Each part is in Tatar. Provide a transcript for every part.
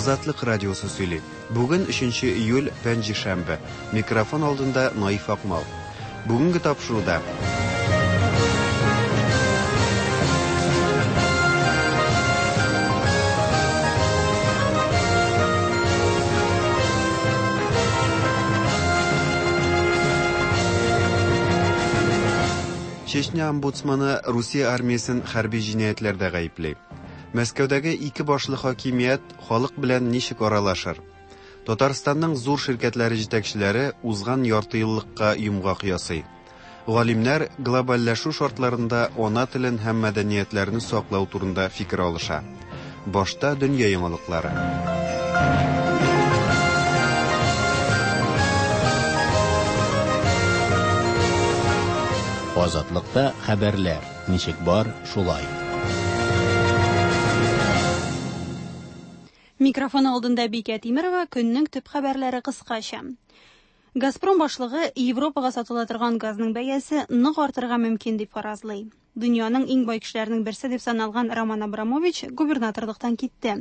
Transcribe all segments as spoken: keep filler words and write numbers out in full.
Азатлык радиосы сөйли. Бүген өченче июль, пәнҗешәмбе. Микрофон алдында Наиф Акмал. Бүгенге тапшыруда Чечня омбудсманы Русия армиясен хәрби җинаятьләрдә гаепли. Мәскәүдәге ике башлы хакимият халык белән ничек аралашыр? Татарстанның зур ширкәтләре җитәкчеләре узган ярты еллыкка йомгак ясый. Галимнәр глобальләшү шартларында ана телен һәм мәдәниятләрне саклау турында фикер алыша. Башта дөнья яңалыклары. Азатлыкта хәбәрләр ничек бар, шулай. Микрофон алдында Бикә Тимерова, көннең төп хәбәрләре кыскача. Газпром башлыгы Европага сатыла торган газның бәясе нык артырга мөмкин дип фаразлый. Дөньяның иң бай кешеләренең берсе дип саналган Роман Абрамович губернаторлыктан китте.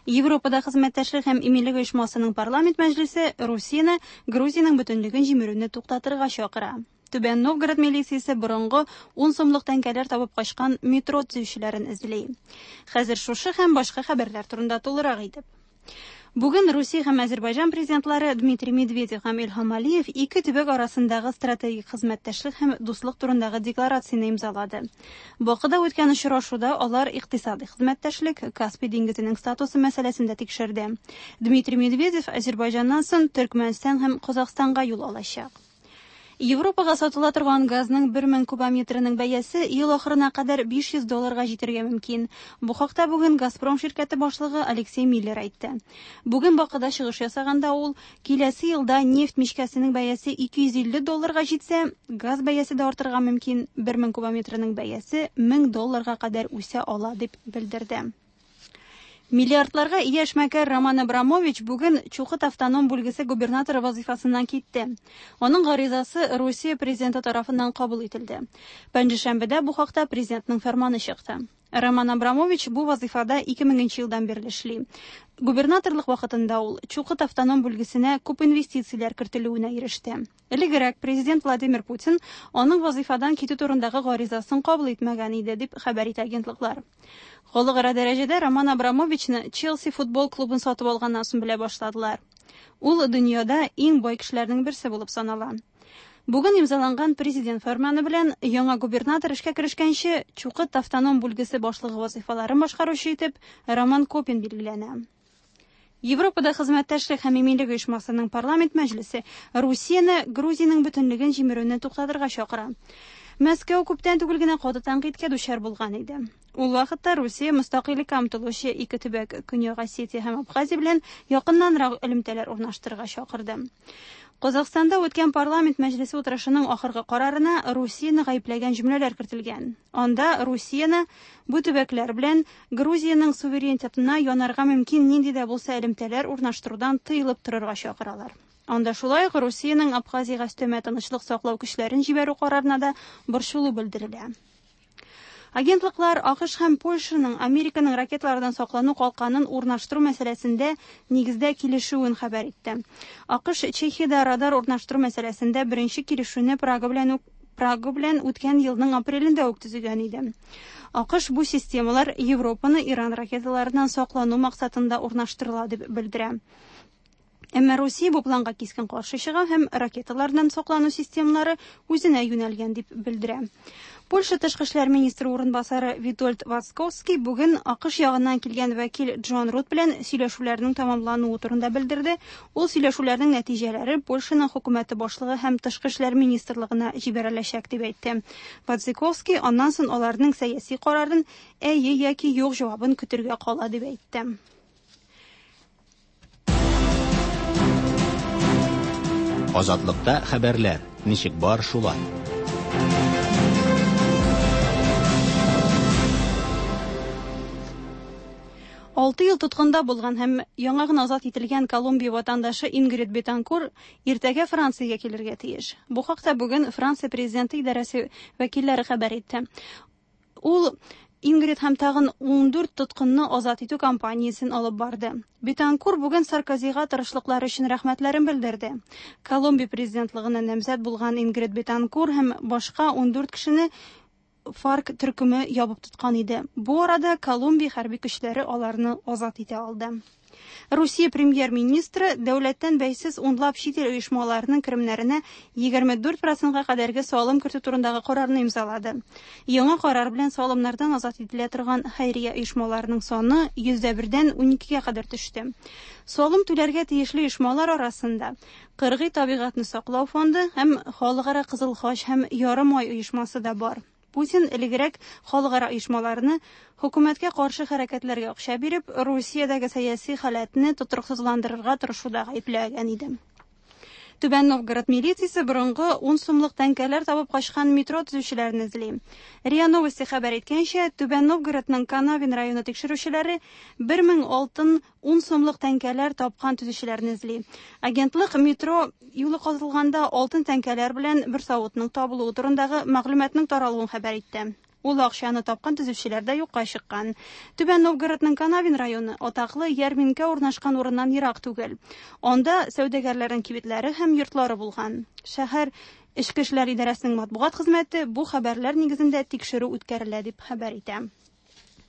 Европада хезмәттәшлек һәм иминлек оешмасының парламент мәҗлесе Русияне Грузиянең бөтенлеген җимерүне туктатырга чакыра. Түбән Новгород милициясе борынгы ун сумлык тәңкәләр табып качкан метро төзүчеләрен эзли. Хәзер шушы һәм башка хәбәрләр турында тулырак итеп. Бүген Русия һәм Азербайҗан президентлары Дмитрий Медведев һәм Илһам Алиев ике төбәк арасындагы стратегик хезмәттәшлек һәм дуслык турындагы декларацияне имзалады. Бакыда үткән очрашуда алар икътисади хезмәттәшлек, Каспий диңгезенең статусы мәсьәләсен дә тикшерде. Дмитрий Медведев Азербайҗаннан соң Төркмәнстан һәм Казахстанга юл алачак. Европага сатыла торган газның бер мең кубометрының бәясе ел ахырына кадәр биш йөз долларга җитәргә мөмкин. Бу хакта бүген Газпром ширкәте башлыгы Алексей Миллер әйтте. Бүген Бакыда чыгыш ясаганда ул киләсе елда нефть мичкәсенең бәясе ике йөз илле долларга җитсә, газ бәясе дә артырга мөмкин. бер мең кубометрының бәясе мең долларга кадәр үсә ала дип белдерде. Миллиардларга ия эшмәкәр Роман Абрамович бүген Чукот автоном бүлгесе губернаторы вазифасыннан китте. Аның гаризасы Русия президенты тарафыннан кабул ителде. Пәнҗешәмбедә бу хакта президентның фәрманы чыкты. Роман Абрамович бу вазифада ике меңенче елдан бирле эшли. Губернаторлык вакытында ул Чукот автоном бүлгесенә күп инвестицияләр кертелүенә иреште. Элегрәк президент Владимир Путин аның вазифадан китү турындагы гаризасын кабул итмәгән иде, дип хәбәр итә агентлыклар. Халыкара дәрәҗәдә Роман Абрамовичны Челси футбол клубын сатып алганнан соң белә башладылар. Ул дөньяда иң бай кешеләрнең берсе булып санала. Бүген имзаланган президент фәрманы белән яңа губернатор эшкә керешкәнче Чукот автоном бүлгесе башлыгы вазифаларын башкаручы итеп Роман Копин билгеләнә. Европада хезмәттәшлек һәм иминлек оешмасының парламент мәҗлесе Русияне Грузиянең бөтенлеген җимерүне туктатырга чакыра. Мәскәү күптән түгел генә каты тәнкыйтькә дучар булган иде. Ул вакытта Русия мөстәкыйльлеккә омтылучы ике төбәк Көньяк Осетия һәм Абхазия белән якыннанрак элемтәләр урнаштырырга чакырды. Казахстанда үткән парламент мәҗлесе утырышының ахыргы карарына Русияне гаепләгән җөмләләр кертелгән. Анда Русияне бу төбәкләр белән Грузиянең суверенитетына янарга мөмкин нинди дә булса элемтәләр урнаштырудан тыелып торырга чакыралар. Анда шулай ук Русиянең Абхазиягә өстәмә тынычлык саклау көчләрен җибәрү карарына да борчылу белдерелә. Агентлыклар АКШ һәм Польшаның Американың ракеталардан саклану калканын урнаштыру мәсьәләсендә нигездә килешүен хәбәр итте. АКШ Чехиядә радар урнаштыру мәсьәләсендә беренче килешүне Прага белән үк Прага белән үткән елның апрелендә үк төзегән иде. АКШ бу системалар Европаны Иран ракеталарыннан саклану максатында урнаштырыла дип белдерә. Әмма Русия бу планга кискен каршы чыга һәм ракеталардан саклану системалары үзенә юнәлгән дип белдерә. Польша тышкы эшләр министры урынбасары Витольд Вацковский бүген АКШ ягыннан килгән вәкил Джон Рут белән сөйләшүләрнең тәмамлануы турында белдерде. Ул сөйләшүләрнең нәтиҗәләре Польшаның хөкүмәте башлыгы һәм тышкы эшләр министрлыгына җибәреләчәк дип әйтте. Вацковский аннан соң аларның сәяси карарын әйе яки юк җавабын көтергә кала дип әйтте. Азатлыкта хәбәрләр ничек бар, шулай. Алты ел тоткында булган һәм яңа гына азат ителгән Колумбия ватандашы Ингрид Бетанкур иртәгә Франциягә килергә тиеш. Бу хакта бүген Франция президенты идарәсе вәкилләре хәбәр итте. Ул Ингрид һәм тагын ундүрт тоткынны азат итү кампаниясен алып барды. Бетанкур бүген Саркозига тырышлыклары өчен рәхмәтләрен белдерде. Колумбия президентлыгына намзәт булган Ингрид Бетанкур һәм башка ундүрт кешене ФАРК төркеме ябып тоткан иде. Бу арада Колумбия хәрби көчләре аларны азат итә алды. Русия премьер-министры дәүләттән бәйсез унлап чит ил оешмаларының керемнәренә егерме дүрт процентка кадәрге салым кертү турындагы карарны имзалады. Яңа карар белән салымнардан азат ителә торган хәйрия оешмаларының саны йөздә бердән уникегә кадәр төште. Салым түләргә тиешле оешмалар арасында Кыргый табигатьне саклау фонды һәм Халыкара Кызыл Хач һәм Ярым Ай оешмасы да бар. Путин элегрәк халыкара оешмаларны хөкүмәткә каршы хәрәкәтләргә акча биреп, Русиядәге сәяси халәтне тотрыксызландырырга тырышуда гаепләгән иде. Түбән Новгород милициясе борынгы ун сумлык тәңкәләр табып качкан метро төзүчеләрен эзли. РИА Новости хәбәр иткәнчә, Түбән Новгородның Канавин районы тикшерүчеләре бер мең алтын ун сумлык тәңкәләр тапкан төзүчеләрне эзли. Агентлык метро юлы казылганда алтын тәңкәләр белән бер савытның табылуы турындагы мәгълүматның таралуын хәбәр итте. Ул акчаны тапкан төзүчеләр дә юкка чыккан. Түбән Новгородның Канавин районы атаклы ярминкә урнашкан урыннан ерак түгел. Анда сәүдәгәрләрнең кибетләре һәм йортлары булган. Шәһәр Эчке эшләр идарәсенең матбугат хезмәте бу хәбәрләр нигезендә тикшерү үткәрелә дип хәбәр итә.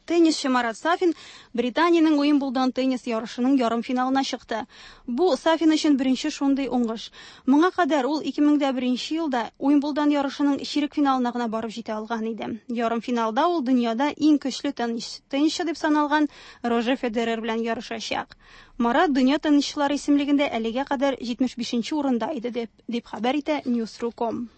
Теннисчы Марат Сафин Британиянең Уимблдон теннис ярышының ярымфиналына чыкты. Бу Сафин өчен беренче шундый уңыш. Моңа кадәр ул ике мең дә беренче елда Уимблдон ярышының чирек финалына гына барып җитә алган иде. Ярымфиналда ул дөньяда иң көчле теннисчы дип саналган Рожер Федерер белән ярышачак. Марат дөнья теннисчылары исемлегендә әлегә кадәр җитмеш бишенче урында иде дип, дип хәбәр итә News точка ком.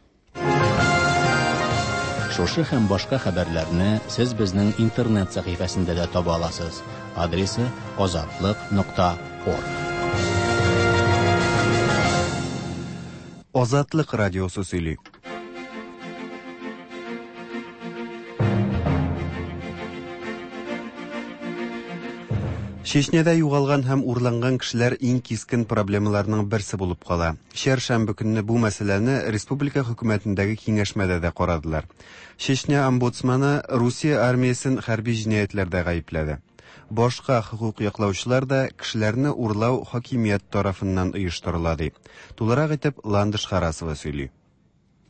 Шушы һәм башка хәбәрләрне сез безнең интернет сәхифәсендә дә таба аласыз. Адресы азатлык нокта орг. Азатлык радиосы сөйли. Чечняда югалган һәм урланган кешеләр иң кискен проблемаларның берсе булып кала. Чәршәмбе көнне бу мәсьәләне республика хөкүмәтендәге киңәшмәдә дә карадылар. Чечня омбудсманы Русия армиясен хәрби җинаятьләрдә гаепләде. Башка хокук яклаучылар да кешеләрне урлау хакимият тарафыннан оештырыла ди. Тулырак итеп Ландыш Харасова сөйли.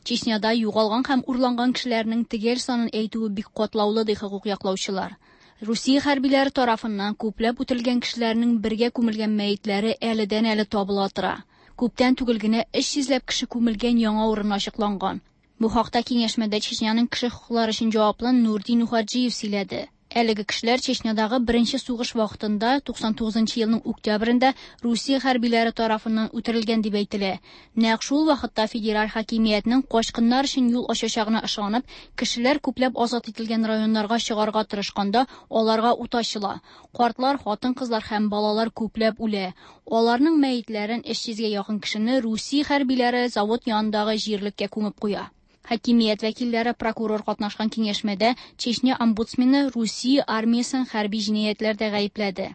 Чечняда югалган һәм урланган кешеләрнең төгәл санын әйтүе бик катлаулы ди хокук яклаучылар. Русия хәрбиләре тарафыннан күпләп үтелгән кешеләрнең бергә күмелгән мәетләре әледән-әле табыла тора. Күптән түгел генә өч йөзләп кеше күмелгән яңа урын ачыкланган. Бу хакта киңәшмәдә Чечняның кеше хокуклары өчен җаваплы Нурдин Ухаджиев сөйләде. Әлеге кешеләр Чечнядагы беренче сугыш вакытында туксан тугызынчы елның октябрендә Русия хәрбиләре тарафыннан үтерелгән дип әйтелә. Нәкъ шул вакытта федераль хакимиятнең качкыннар өчен юл ачачагына ышанып, кешеләр күпләп азат ителгән районнарга чыгарга тырышканда аларга ут ачыла. Картлар, хатын-кызлар һәм балалар күпләп үлә. Аларның мәетләрен өч йөзгә якын кешене Русия хәрбиләре завод янындагы җирлеккә күмеп куя. Хакимият вәкилләре прокурор катнашкан киңәшмәдә Чечня омбудсмены Русия армиясен хәрби җинаятьләрдә гаепләде.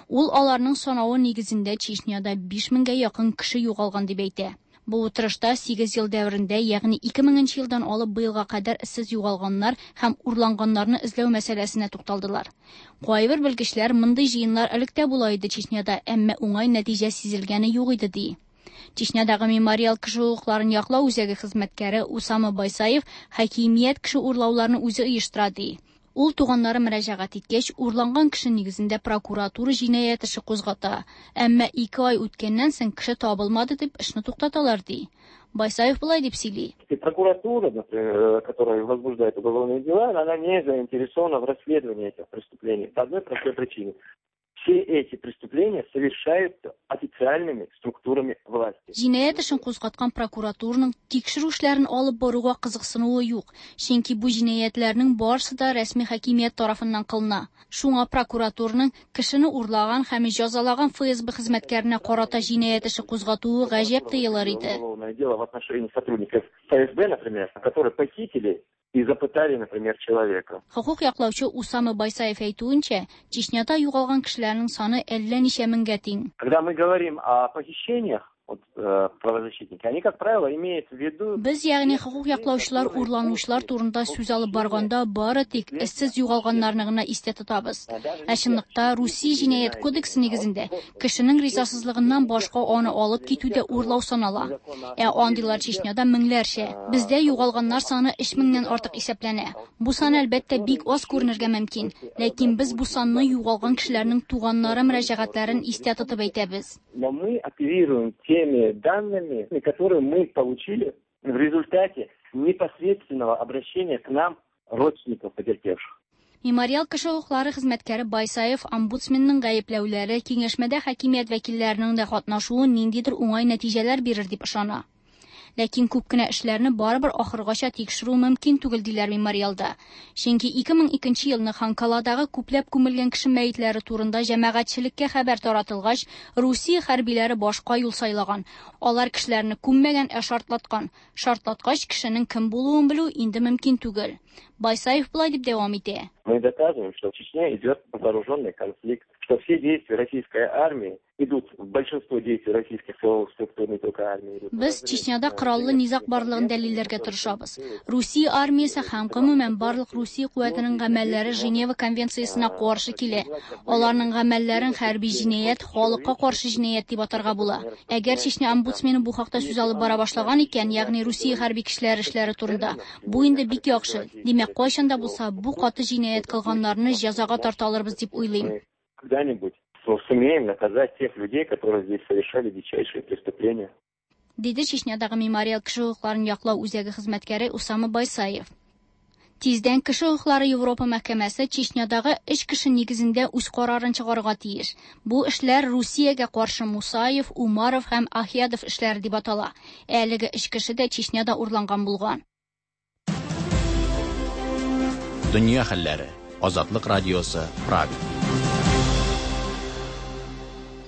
Ул аларның санавы нигезендә Чечняда биш меңгә якын кеше югалган дип әйтә. Бу утырышта сигез ел дәверендә, ягъни ике меңенче елдан алып быелга кадәр эзсез югалганнар һәм урланганнарны эзләү мәсьәләсенә тукталдылар. Кайбер белгечләр мондый җыеннар элек тә була иде Чечняда, әмма уңай нәтиҗә сизелгәне юк иде ди. Чечнядагы мемориал кеше хокукларын яклау үзәге хезмәткәре Усама Байсаев хакимият кеше урлауларны үзе оештыра ди. Ул туганнары мөрәҗәгать иткәч, урланган кеше нигезендә прокуратура җинаять эше кузгата. Әмма ике ай үткәннән соң кеше табылмады дип эшне туктаталар ди. Байсаев болай дип сөйли. Прокуратура, например, которая возбуждает уголовные дела, она не заинтересована в расследовании этих преступлений по одной простой причине. Все эти преступления совершаются официальными структурами власти. Җинаять эшен кузгаткан прокуратураның тикшерү эшләрен алып баруга кызыксынуы юк, чөнки бу җинаятьләрнең барысы да рәсми хакимият тарафыннан кылына. Шуңа прокуратураның кешене урлаган һәм җәзалаган Эф Эс Бэ хезмәткәренә карата җинаять эше кузгатуы гаҗәп тоелыр иде. Уголовное дело в отношении сотрудников Эф Эс Бэ, например, которые похитили и запытали, например, человека. Хокук яклаучы Усама Байсаев әйтүенчә, Чечняда югалган кешеләрнең саны әллә ничә меңгә тиң. Когда мы говорим о похищениях, вот, э, правозащитники, они, как правило, имеют в виду... Без, ягъни хокук яклаучылар урланучылар турында сүз алып барганда бары тик эзсез югалганнарны гына истә тотабыз. Ә чынлыкта Русия җинаять кодексы нигезендә кешенең ризасызлыгыннан башка аны алып китү дә урлау санала. Ә андыйлар Чечняда меңләрчә. Бездә югалганнар саны өч меңнән артык исәпләнә. Бу сан әлбәттә бик аз күренергә мөмкин, ләкин без бу санны югалган кешеләрнең туганнары мөрәҗәгатьләрен истә тотып әйтәбез. Но мы оперируем теми данными, которые мы получили в результате непосредственного обращения к нам родственников потерпевших. Мемориал кеше хокуклары хезмәткәре Байсаев омбудсменның гаепләүләре киңәшмәдә хакимият вәкилләренең дә катнашуы ниндидер уңай нәтиҗәләр бирер дип ышана. Ләкин күп кенә эшләрне барыбер ахыргача тикшерү мөмкин түгел диләр мемориалда. Чөнки ике мең икенче елны Ханкаладагы күпләп күмелгән кеше мәетләре турында җәмәгатьчелеккә хәбәр таратылгач, Русия хәрбиләре башка юл сайлаган. Алар кешеләрне күммәгән, ә шартлаткан. Шартлаткач кешенең кем булуын белү инде мөмкин түгел. Байсаев болай дип дәвам итә. Мы доказываем, что в Чечне идет вооруженный конфликт, что все действия российской армии идут, большинство действий российских силовых структур, не только армии идут. Без Чечняда кораллы низаг барлыгын дәлилләргә тырышабыз. Русия армиясе һәм гомумән барлык Русия куәтенең гамәлләре Женева конвенциясенә каршы килә. Аларның гамәлләрен хәрби җинаять, халыкка каршы җинаять дип атарга була. Әгәр Чечня омбудсмены бу хакта сүз алып бара башлаган икән, ягъни Русия хәрби кешеләре эшләре турында, бу инде бик яхшы. Димәк, кайчан да булса бу каты җинаять кылганнарны җәзага тарта алырбыз дип уйлыйм. Когда-нибудь сумеем наказать тех людей, которые здесь совершали дичайшие преступления. Диде Чечнядагы мемориал кеше хокукларын яклау үзәге хезмәткәре Усама Байсаев. Тиздән кеше хокуклары Европа мәхкәмәсе Чечнядагы өч кеше нигезендә үз карарын чыгарырга тиеш. Бу эшләр Русиягә каршы Мусаев, Умаров һәм Ахиядов эшләре дип атала. Әлеге өч кеше дә Чечняда урланган булган. Дөнья хәлләре. Азатлык радиосы, Прага.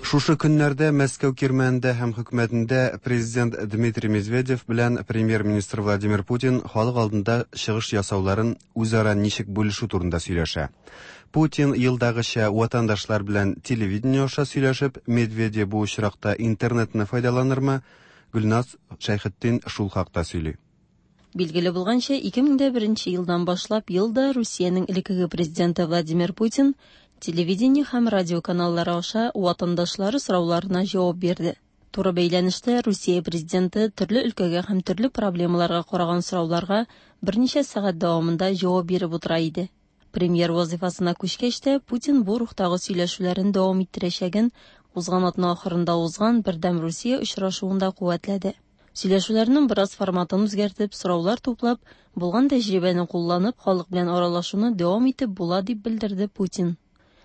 Шушы көннәрдә Мәскәү кирмәнендә һәм хөкүмәтендә президент Дмитрий Медведев белән премьер-министр Владимир Путин халык алдында чыгыш ясауларын үзара ничек бүлешү турында сөйләшә. Путин елдагыча ватандашлар белән телевидение аша сөйләшеп, Медведев бу очракта интернетны файдаланырмы? Гөлназ Шәйхетдин шул хакта сөйли. Билгеле булганча, ике мең дә беренче елдан башлап елда Русиянең элеккеге президенты Владимир Путин телевидение һәм радио каналлары аша ватандашлары сорауларына җавап бирде. Туры бәйләнештә Русия президенты төрле өлкәгә һәм төрле проблемаларга караган сорауларга берничә сәгать дәвамында җавап биреп утыра иде. Премьер вазифасына күчкәч тә Путин бу рухтагы сөйләшүләрен дәвам иттерәчәген узган атна ахырында узган Бердәм Русия очрашуында куәтләде. Сөйләшүләрнең бераз форматын үзгәртеп, сораулар туплап, булган тәҗрибәне кулланып, халык белән аралашуны дәвам итеп була дип белдерде Путин.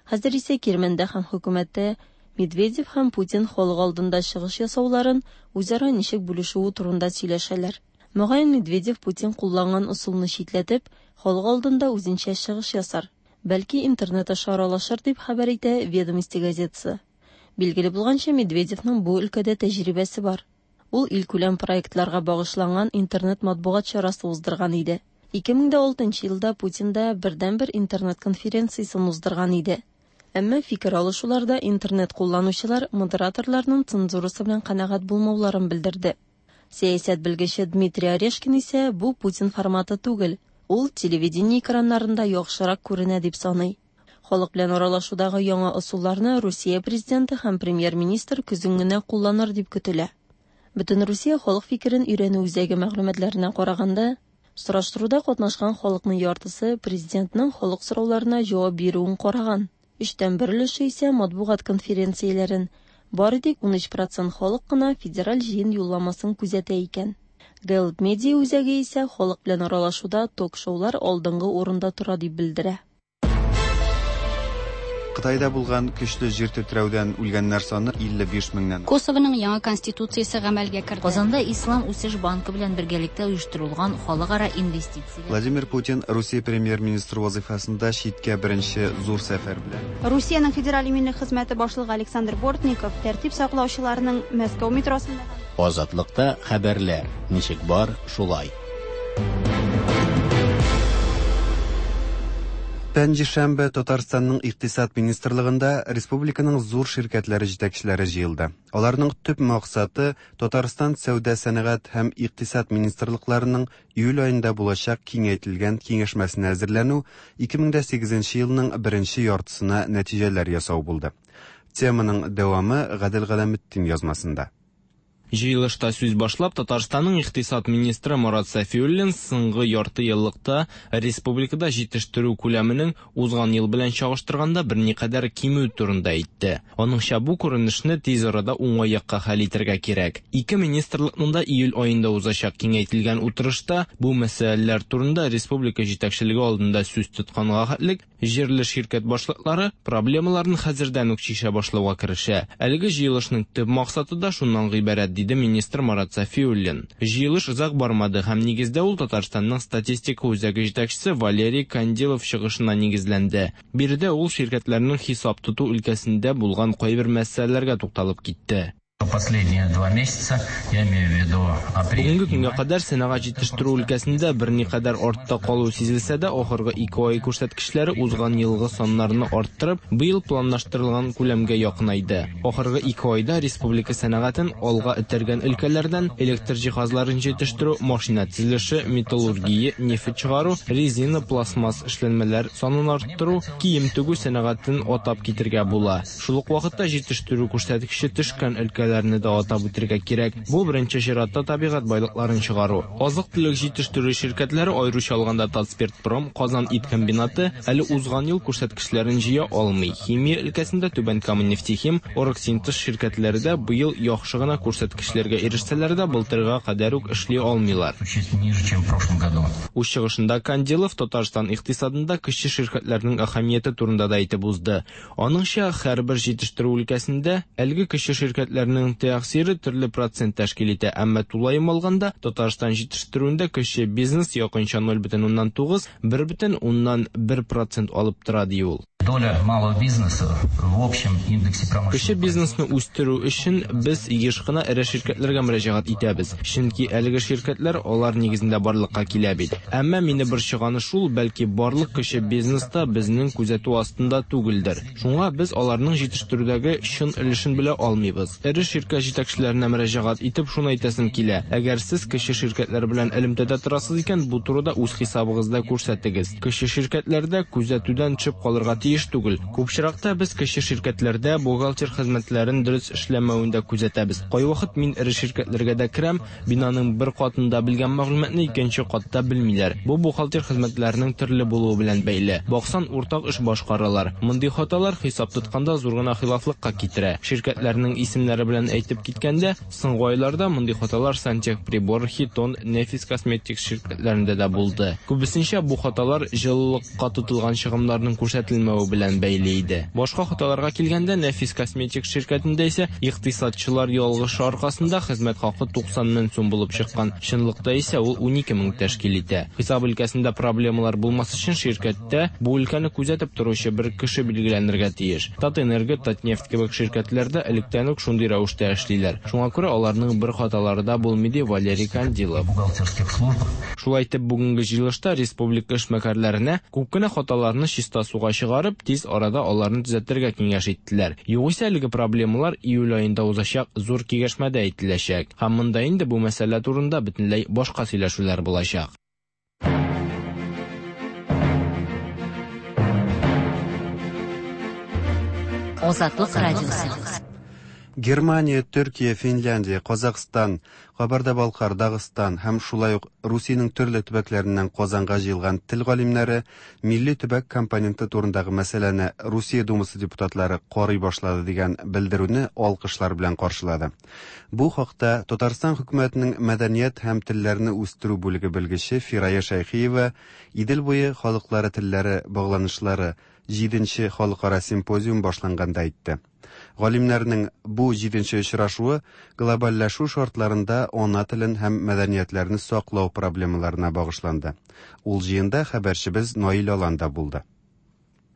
Хәзер исә кирмәндә һәм хөкүмәттә Медведев һәм Путин халык алдында чыгыш ясауларын үзара ничек бүлешүе турында сөйләшәләр. Мөгаен Медведев Путин кулланган ысулны читләтеп, халык алдында үзенчә чыгыш ясар. Бәлки интернет аша аралашыр дип хәбәр итә Ведомости газетасы. Билгеле булганча, Медведевның бу өлкәдә тәҗрибәсе бар. Ул илкүләм проектларга багышланган интернет матбугат чарасы уздырган иде. ике мең дә алтынчы елда Путин да бердәнбер интернет конференциясен уздырган иде. Әмма фикер алышуларда интернет кулланучылар модераторларның цензурасы белән канәгать булмауларын белдерде. Сәясәт белгече Дмитрий Орешкин исә бу Путин форматы түгел, ул телевидение экраннарында яхшырак күренә дип саный. Халык белән аралашудагы яңа ысулларны Русия президенты һәм премьер-министр көзен генә кулланыр дип көтелә. Бөтен Русия халык фикерен өйрәнү үзәге мәгълүматларына караганда, сораштыруда катнашкан халыкның яртысы президентның халык сорауларына җавап бирүен караган. Өчтән бер өлеше исә матбугат конференцияләрен, бары тик ун өч процент халык кына федераль җыен юлламасын күзәтә икән. Гэллап медиа үзәге исә халык белән аралашуда ток-шоулар алдынгы урында тора дип белдерә. Кытайда булган көчле җир тетрәүдән үлгәннәр саны илле биш меңнән. Косовоның яңа конституциясе гамәлгә керде. Казанда Ислам үсеш банкы белән бергәлектә оештырылган халыкара инвестиция. Владимир Путин Русия премьер-министры вазифасында читкә беренче зур сәфәр белән. Русиянең федераль иминлек хезмәте башлыгы Александр Бортников тәртип саклаучыларның Мәскәү метросында Азатлыкта хәбәрләр ничек бар, шулай. Пәнҗешәмбе Татарстанның Икътисад министрлыгында республиканың зур ширкәтләре җитәкчеләре җыелды. Аларның төп максаты Татарстан Сәүдә сәнәгать һәм икътисад министрлыкларының июль аенда булачак киңәйтелгән киңәшмәсенә әзерләнү, ике мең дә сигезенче елның беренче яртысына нәтиҗәләр ясау булды. Теманың дәвамы Гадел Галәметдин язмасында. Җыелышта сүз башлап, Татарстанның икътисад министры Марат Сафиуллин соңгы ярты еллыкта республикада җитештерү күләменең узган ел белән чагыштырганда берникадәр кимү турында әйтте. Аныңча, бу күренешне тиз арада уңай якка хәл итәргә кирәк. Ике министрлыкның да июль аенда узачак киңәйтелгән утырышта бу мәсьәләләр турында республика җитәкчелеге алдында сүз тотканга хәтлек җирле ширкәт башлыклары проблемаларын хәзердән үк чишә башлауга керешә. Әлеге җыелышның төп максаты да шуннан гыйбарәт, диде министр Марат Сафиуллин. Җыелыш озак бармады һәм нигездә ул Татарстанның статистика үзәге җитәкчесе Валерий Кандилов чыгышына нигезләнде. Биредә ул ширкәтләрнең хисап тоту өлкәсендә булган кайбер мәсьәләләргә тукталып китте. Последние два месяца, я имею в виду апрель Бүгенге и көнгә май. кадәр сәнәгать җитештерү өлкәсендә берникадәр артта калу сизелсә дә, ахыргы ике ай күрсәткечләре узган елгы саннарны арттырып, быел планлаштырылган күләмгә якынайды. Ахыргы ике айда республика сәнәгатен алга этәргән өлкәләрдән электр җиһазларын җитештерү, машина төзелеше, металлургия, нефть чыгару, резина, пластмасс эшләнмәләр санын арттыру, кием тегү сәнәгатен атап китергә була. Шул ук вакытта җитештерү күрсәткече төшкән өлкәләрне дә атап үтергә кирәк. Бу беренче чиратта табигать байлыкларын чыгару. Азык-төлек җитештерү ширкәтләре, аеруча алганда Татспиртпром, Казан ит комбинаты әле узган ел күрсәткечләрен җыя алмый. Химия өлкәсендә Түбән Кама нефтехим, Оргсинтез ширкәтләре дә быел яхшы гына күрсәткечләргә ирешсәләр дә, былтырга кадәр үк эшли алмыйлар. Существенно ниже, чем в прошлом году. Үз чыгышында Кандилов Татарстан икътисадында кече ширкәтләрнең әһәмияте турында да әйтеп узды. Аныңча, һәрбер җитештерү өлкәсендә әлеге кече ширкәтләрнең тәэсире төрле процент тәшкил итә, әмма тулаем алганда Татарстан җитештерүендә кече бизнес якынча ноль бөтен уннан тугыз, бер бөтен уннан бер процент алып тора, ди ул. Доля малого бизнеса в общем индексе промышленности. Кече бизнесны үстерү өчен без еш кына эре ширкәтләргә мөрәҗәгать итәбез. Чөнки әлеге ширкәтләр алар нигезендә барлыкка килә бит. Әмма мине борчыганы шул, бәлки барлык кече бизнеста безнең күзәтү астында түгелдер. Шуңа без аларның җитештерүдәге чын өлешен белә алмыйбыз. Эре ширкәт җитәкчеләренә мөрәҗәгать итеп шуны әйтәсем килә. Әгәр сез кече ширкәтләр белән элемтәдә торасыз икән, бу турыда үз хисабыгызда күрсәтегез. Кече ширкәтләрдә күзәтүдән төшеп калырга тиеш түгел. Күп очракта без кече ширкәтләрдә бухгалтер хезмәтләрен дөрес эшләмәвен дә күзәтәбез. Кайвакыт мин эре ширкәтләргә дә керәм, бинаның бер катында белгән мәгълүматны икенче катта белмиләр. Бу бухгалтер хезмәтләренең төрле булуы белән бәйле. Баксан, уртак эш башкаралар. Мондый хаталар хисап тотканда зур гына хилафлыкка китерә. Ширкәтләрнең исемнәре белән әйтеп киткәндә, соңгы айларда мондый хаталар Сантехприбор, Хитон, Нефис Косметик ширкәтләрендә дә булды. Күбесенчә бу хаталар җылылыкка тотылган чыгымнарның күрсәтелмәве белән бәйле иде. Башка хаталарга килгәндә, Нефис Косметик ширкәтендә исә икътисадчылар ялгышы аркасында хезмәт хакы туксан мең сум булып чыккан. Чынлыкта исә ул унике мең тәшкил итә. Хисап өлкәсендә проблемалар булмас өчен ширкәттә бу өлкәне күзәтеп торучы бер кеше билгеләнергә тиеш. Татэнерго, Татнефть кебек ширкәтләрдә электән үк шундый рәвештә эшлиләр. Шуңа күрә аларның бер хаталары да булмый, ди Валерий Кандилов. Бухгалтерских службах. Шулай итеп, бүгенге җыелышта республика эшмәкәрләренә күп кенә хаталарны чиста суга чыгарып, тиз арада аларны төзәтергә киңәш иттеләр. Югыйсә әлеге проблемалар июль аенда узачак зур киңәшмәдә әйтеләчәк. Һәм монда инде бу мәсьәлә турында бөтенләй башка сөйләшүләр булачак. Азатлык радиосы. Германия, Төркия, Финляндия, Казахстан, Кабарда-Балкар, Дагыстан һәм шулай ук Русиянең төрле төбәкләреннән Казанга җыелган тел галимнәре милли төбәк компоненты турындагы мәсьәләне Русия Думасы депутатлары карый башлады дигән белдерүне алкышлар белән каршылады. Бу хакта Татарстан хөкүмәтенең мәдәният һәм телләрне үстерү бүлеге белгече Фирая Шәйхиева Идел буе халыклары телләре багланышлары җиденче халыкара симпозиум башланганда әйтте. Галимнәрнең бу җиденче очрашуы глобальләшү шартларында ана телен һәм мәдәниятләрне саклау проблемаларына багышланды. Ул җыенда хәбәрчебез Наил Аланда булды.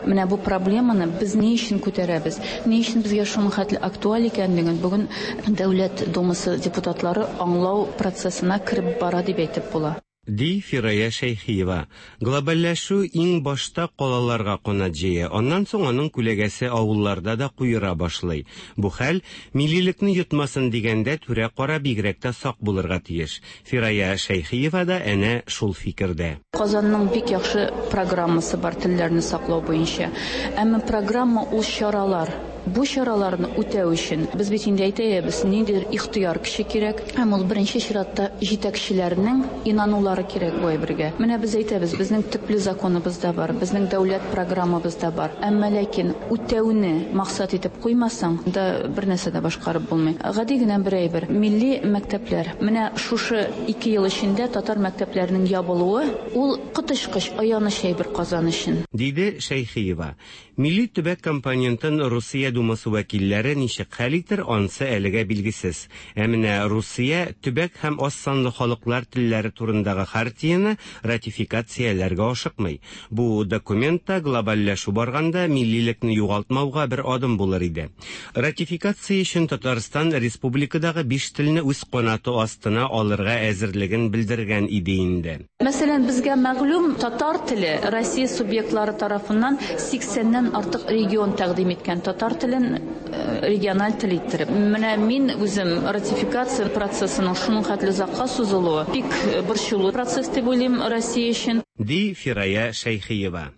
Менә бу проблеманы без ни өчен күтәрәбез? Ни өчен безгә шуның хәтле актуаль икәнлеген бүген Дәүләт Думасы депутатлары аңлау процессына кереп бара дип әйтеп була. Ди Фирая Шәйхиева. Глобальләшү иң башта калаларга канат җәя, аннан соң аның күләгәсе авылларда да куера башлый. Бу хәл миллилекне йотмасын дигәндә түрә-кара бигрәк тә сак булырга тиеш. Фирая Шәйхиева да әнә шул фикердә. Казанның бик яхшы программасы бар телләрне саклау буенча. Әмма программа ул чаралар. Бу чараларны үтәү өчен без бит инде әйтәбез, ниндидер ихтыяр көче кирәк. Һәм ул беренче чиратта җитәкчеләрнең инанулары кирәк бу әйбергә. Менә без әйтәбез, безнең төпле законыбыз да бар, безнең дәүләт программабыз да бар. Әмма ләкин үтәүне максат итеп куймасаң, да бер нәрсә дә башкарып булмый. Гади генә бер әйбер, милли мәктәпләр. Менә шушы ике ел эчендә татар мәктәпләренең ябылуы ул коточкыч аяныч әйбер Казан өчен. Диде Шәйхиева. Милли төбәк компонентын Русия Думасы вәкилләре ничек хәл итер, ансы әлегә билгесез. Ә менә Русия төбәк һәм аз санлы халыклар телләре турындагы хартияне ратификацияләргә ашыкмый. Бу документта глобальләшү барганда миллилекне югалтмауга бер адым булыр иде. Ратификация өчен Татарстан республикадагы биш телне үз канаты астына алырга әзерлеген белдергән иде инде. Мәсәлән, безгә мәгълүм татар теле Россия субъектлары тарафыннан сиксәннән артык регион тәкъдим иткән татар телен региональ тел иттереп. Менә мин үзем ратификация процессының шуның хәтле озакка сузылуы бик борчулы процесс дип уйлыйм Россия өчен. Ди Фирая Шәйхиева.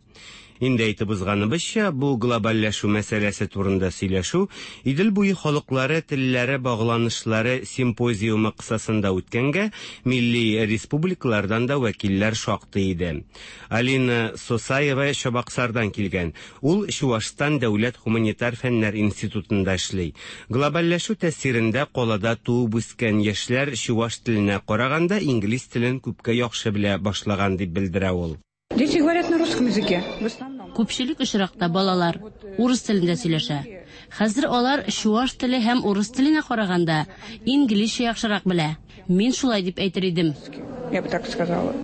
Инде әйтеп узганыбызча, бу глобальләшү мәсьәләсе турында сөйләшү Идел буе халыклары телләре багланышлары симпозиумы кысасында үткәнгә милли республикалардан да вәкилләр шактый иде. Алина Сосаева Чабаксардан килгән. Ул Чуашстан дәүләт гуманитар фәннәр институтында эшли. Глобальләшү тәэсирендә калада туып үскән яшьләр чуаш теленә караганда инглиз телен күпкә яхшы белә башлаган дип белдерә ул. Дети говорят на русском языке. В основном. Күпчелек очракта балалар урыс телендә сөйләшә. Хәзер алар чуаш теле һәм урыс теленә караганда инглизчә яхшырак белә. Мин шулай дип әйтер идем. Я бы так сказала.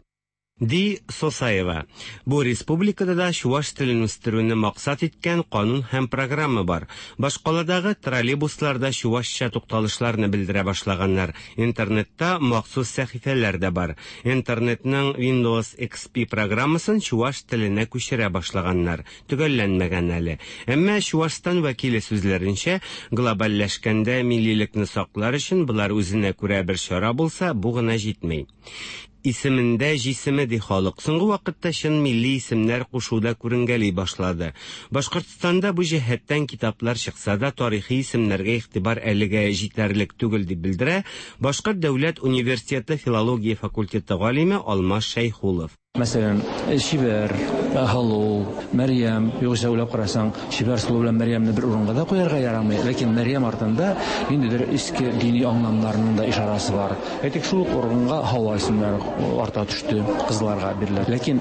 Ди Сосаева. Бу республикада да чуаш телен үстерүне максат иткән канун һәм программа бар. Башкаладагы троллейбусларда чуашча тукталышларны белдерә башлаганнар. Интернетта махсус сәхифәләр дә бар. Интернетның Windows X P программасын чуаш теленә күчерә башлаганнар. Төгәлләнмәгән әле. Әмма Чуашстан вәкиле сүзләренчә, глобальләшкәндә миллилекне саклар өчен болар үзенә күрә бер чара булса, бу гына җитми. Исемендә җисеме ди халык. Соңгы вакытта чын милли исемнәр кушуда күренгәли башлады. Башкортстанда бу җәһәттән китаплар чыкса да, тарихи исемнәргә игътибар әлегә җитәрлек түгел дип белдерә Башкорт дәүләт университеты филология факультеты галиме Алмаз Шәйхулов. Мәсәлән, Шибәр, Һалу, Мәрьям, югыйсә уйлап карасаң, Шибәр сылу белән Мәрьямне бер урынга да куярга ярамый. Ләкин Мәрьям артында ниндидер иске дини аңламнарның да ишарасы бар. Әйтик, шул ук урынга Һава исемнәре арта төште, кызларга бирелә. Ләкин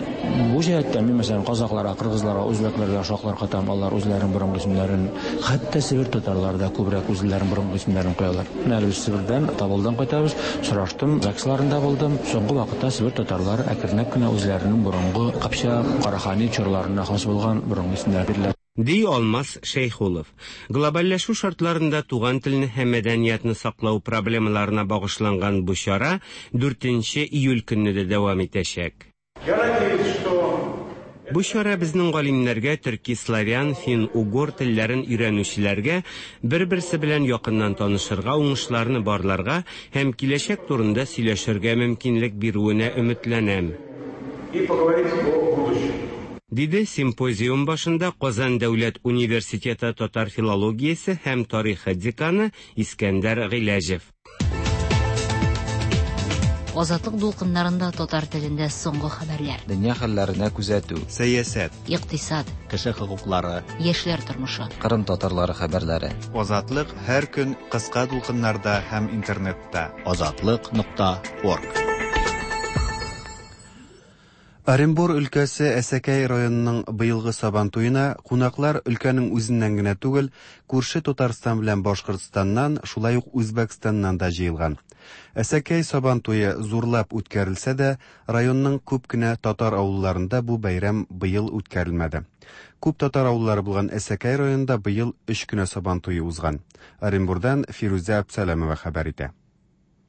бу җәһәттән мин, мәсәлән, казакъларга, кыргызларга, үзбәкләргә шаклар катам, алар үзләренең борынгы исемнәрен, хәтта Себер татарлары да күбрәк үзләренең борынгы исемнәрен куялар. Менә без Себердән, Табылдан кайтабыз, сораштым, ЗАГСларында булдым. Соңгы вакытта Себер татарлары әкренләп кенә үзләренең борынгы Кыпчак, Карахани чорларына хас булган борынгы исемнәр бирелә. Ди Алмаз Шәйхулов. Глобальләшү шартларында туган телне һәм мәдәниятне саклау проблемаларына багышланган бу чара дүртенче июль көнне дә дәвам итәчәк. Бу чара безнең галимнәргә, төрки, славян, фин, угор телләрен өйрәнүчеләргә бер-берсе белән якыннан танышырга, уңышларны барларга һәм киләчәк турында сөйләшергә мөмкинлек бирүенә өметләнәм. И поговорить о будущем. Диде симпозиум башында Казан дәүләт университеты татар филологиясе һәм тарихы деканы Искәндәр Гыйләҗев. Азатлык дулкыннарында татар телендә соңгы хәбәрләр. Дөнья хәлләренә күзәтү. Сәясәт. Икътисад. Кеше хокуклары. Яшьләр тормышы. Кырым татарлары хәбәрләре. Азатлык һәр көн кыска дулкыннарда һәм интернетта. Азатлык нокта орг. Оренбур өлкәсе Әсәкәй районының быелгы Сабан туена кунаклар өлкәнең үзеннән генә түгел, күрше Татарстан белән Башкортстаннан, шулай ук Үзбәкстаннан да җыелган. Әсәкәй Сабан туе зурлап үткәрелсә дә, районның күп кенә татар авылларында бу бәйрәм быел үткәрелмәде. Күп татар авыллары булган Әсәкәй районында быел өч кенә Сабан туе узган. Оренбурдан Фирүзә Абсәләмова хәбәр итә.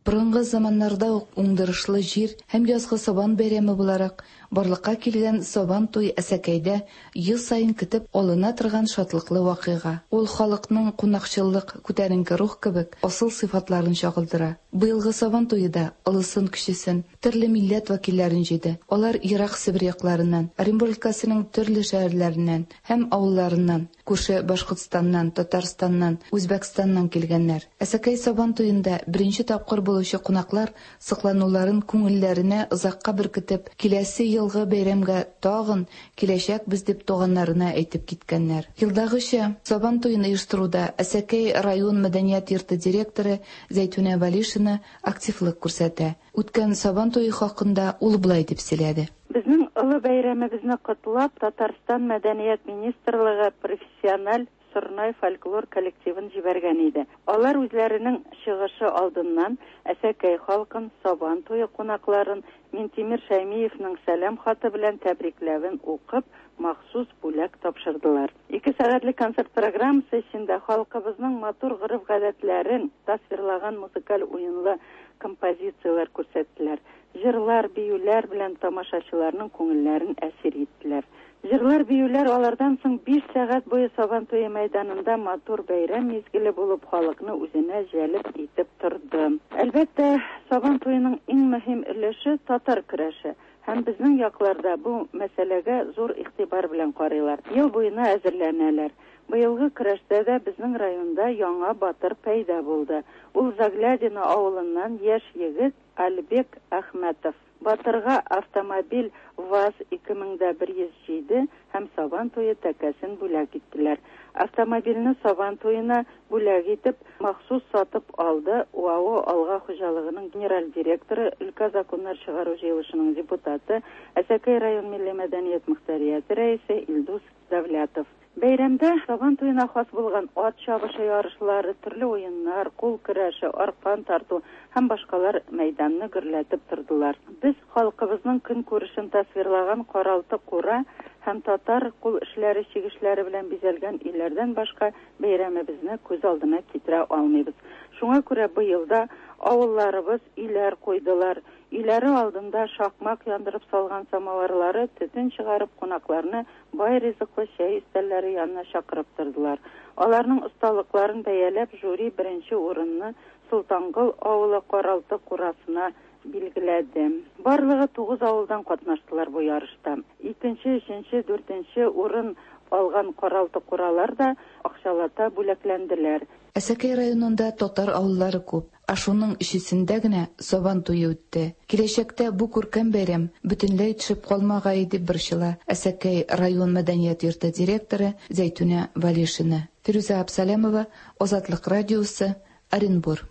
Борынгы заманнарда ук уңдырышлы җир һәм язгы сабан бәйрәме буларак барлыкка килгән Сабан туй Әсәкәйдә ел саен көтеп алына торган шатлыклы вакыйга. Ул халыкның кунакчыллык, күтәренке рух кебек асыл сыйфатларын чагылдыра. Быелгы Сабан туе да олысын кечесен, төрле милләт вәкилләрен җыйды. Алар ерак Себер якларыннан, Оренбург өлкәсенең төрле шәһәрләреннән һәм авылларыннан, күрше Башкортстаннан, Татарстаннан, Үзбәкстаннан килгәннәр. Әсәкәй Сабан туенда беренче тапкыр булучы кунаклар соклануларын күңелләренә озакка беркетеп, киләсе елгы бәйрәмгә тагын киләчәкбез дип туганнарына әйтеп киткәннәр. Елдагыча Сабан туен оештыруда Әсәкәй район мәдәният йорты директоры Зәйтүнә Валишина активлык күрсәтә. Үткән Сабан туе хакында ул болай дип сөйләде. Безнең олы бәйрәмебезне котлап, Татарстан мәдәният министрлыгы профессиональ Сорнай фольклор коллективын җибәргән иде. Алар үзләренең чыгышы алдыннан Әсәкәй халкын, Сабан туе кунакларын Минтимер Шәймиевның сәлам хаты белән тәбрикләвен укып, махсус бүләк тапшырдылар. Ике сәгатьлек концерт программасы эчендә халкыбызның матур гореф-гадәтләрен тасвирлаган музыкаль уенлы композицияләр күрсәттеләр. Җырлар, биюләр белән тамашачыларның күңелләрен әсир иттеләр. Җырлар, биюләр алардан соң биш сәгать буе Сабан туе мәйданында матур бәйрәм мизгеле булып халыкны үзенә җәлеп итеп торды. Әлбәттә, Сабан туеның иң мөһим өлеше татар көрәше. Һәм безнең якларда бу мәсьәләгә зур игътибар белән карыйлар. Ел буена әзерләнәләр. Быелгы көрәштә дә безнең районда яңа батыр пәйда булды. Ул Заглядино авылыннан яшь егет Альбек Әхмәтов. Батырга автомобиль ВАЗ ике мең бер йөз җиде һәм Сабан туе тәкәсен бүләк иттеләр. Автомобильне Сабан туена бүләк итеп махсус сатып алды УАО Алга хуҗалыгының генераль директоры, өлкә законнар чыгару җыелышының депутаты, Әсәкәй район милли мәдәният мөхтәрияте рәисе Илдус Давлятов. Бәйрәмдә Сабан туена хас булган ат чабышы ярышлары, төрле уеннар, кул көрәше, аркан тарту һәм башкалар мәйданны гөрләтеп тордылар. Без халкыбызның көнкүрешен тасвирлаган каралты кура һәм татар кул эшләре чигешләре белән бизәлгән өйләрдән башка бәйрәмебезне күз алдына китерә алмыйбыз. Шуңа күрә быел да авылларыбыз өйләр куйдылар. Өйләре алдында шакмак яндырып салган самавырлары төтен чыгарып кунакларны бай ризыклы чәй өстәлләре янына чакырып тордылар. Аларның осталыкларын бәяләп жюри беренче урынны Солтангол авылы каралты курасына билгеләде. Барлыгы тугыз авылдан катнаштылар бу ярышта. Икенче, өченче, дүртенче урын алган каралты куралар да акчалата бүләкләнделәр. Әсәкәй районында татар авыллары күп, ә шуның өчесендә генә Сабан туе үтте. Киләчәктә бу күркәм бәйрәм бөтенләй төшеп калмагай дип борчыла Әсәкәй район мәдәният йорты директоры Зәйтүнә Валишина. Фирүзә Абсалямова, Азатлык радиосы, Оренбур.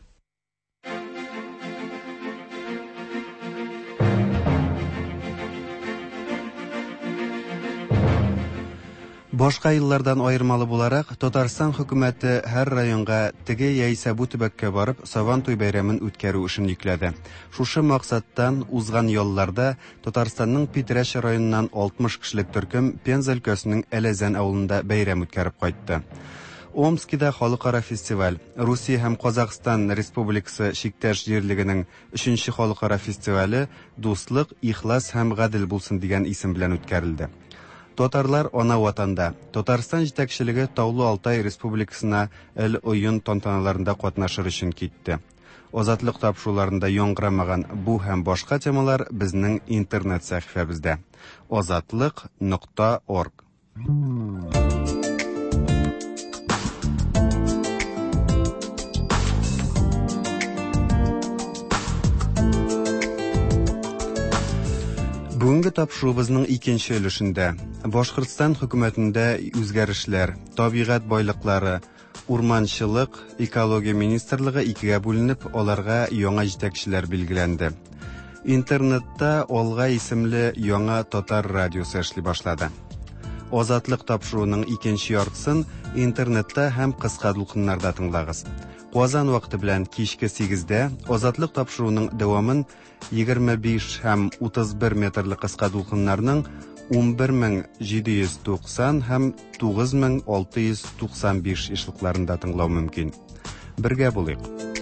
Башка еллардан аермалы буларак, Татарстан хөкүмәте һәр районга теге яисә бу төбәккә барып Сабан туй бәйрәмен үткәрү эшен йөкләде. Шушы максаттан узган ялларда Татарстанның Питрәч районыннан алтмыш кешелек төркем Пенза өлкәсенең Әләзән авылында бәйрәм үткәреп кайтты. Омскида халыкара фестиваль, Русия һәм Казахстан Республикасы чиктәш җирлегенең өченче халыкара фестивале Дуслык, ихлас һәм гадел булсын дигән исем белән үткәрелде. Татарлар ана ватанда. Татарстан җитәкчелеге Таулы Алтай Республикасына эл уен тантаналарында катнашыр өчен китте. Азатлык тапшыруларында яңгырамаган бу һәм башка темалар безнең интернет сәхифәбездә. азатлык нокта орг. Бүгенге тапшыруыбызның икенче өлешендә Башкортстан хөкүмәтендә үзгәрешләр, табигать байлыклары, урманчылык, экология министрлыгы икегә бүленеп, аларга яңа җитәкчеләр билгеләнде. Интернетта Алга исемле яңа татар радиосы эшли башлады. Азатлык тапшыруының икенче яртысын интернетта һәм кыска дулкыннарда тыңлагыз. Казан вакыты белән кичке сигездә Азатлык тапшыруының дәвамын егерме биш һәм утыз бер метрлы кыска дулкыннарның ун бер мең җиде йөз туксан һәм тугыз мең алты йөз туксан биш ешлыкларында тыңлау мөмкин. Бергә булыйк.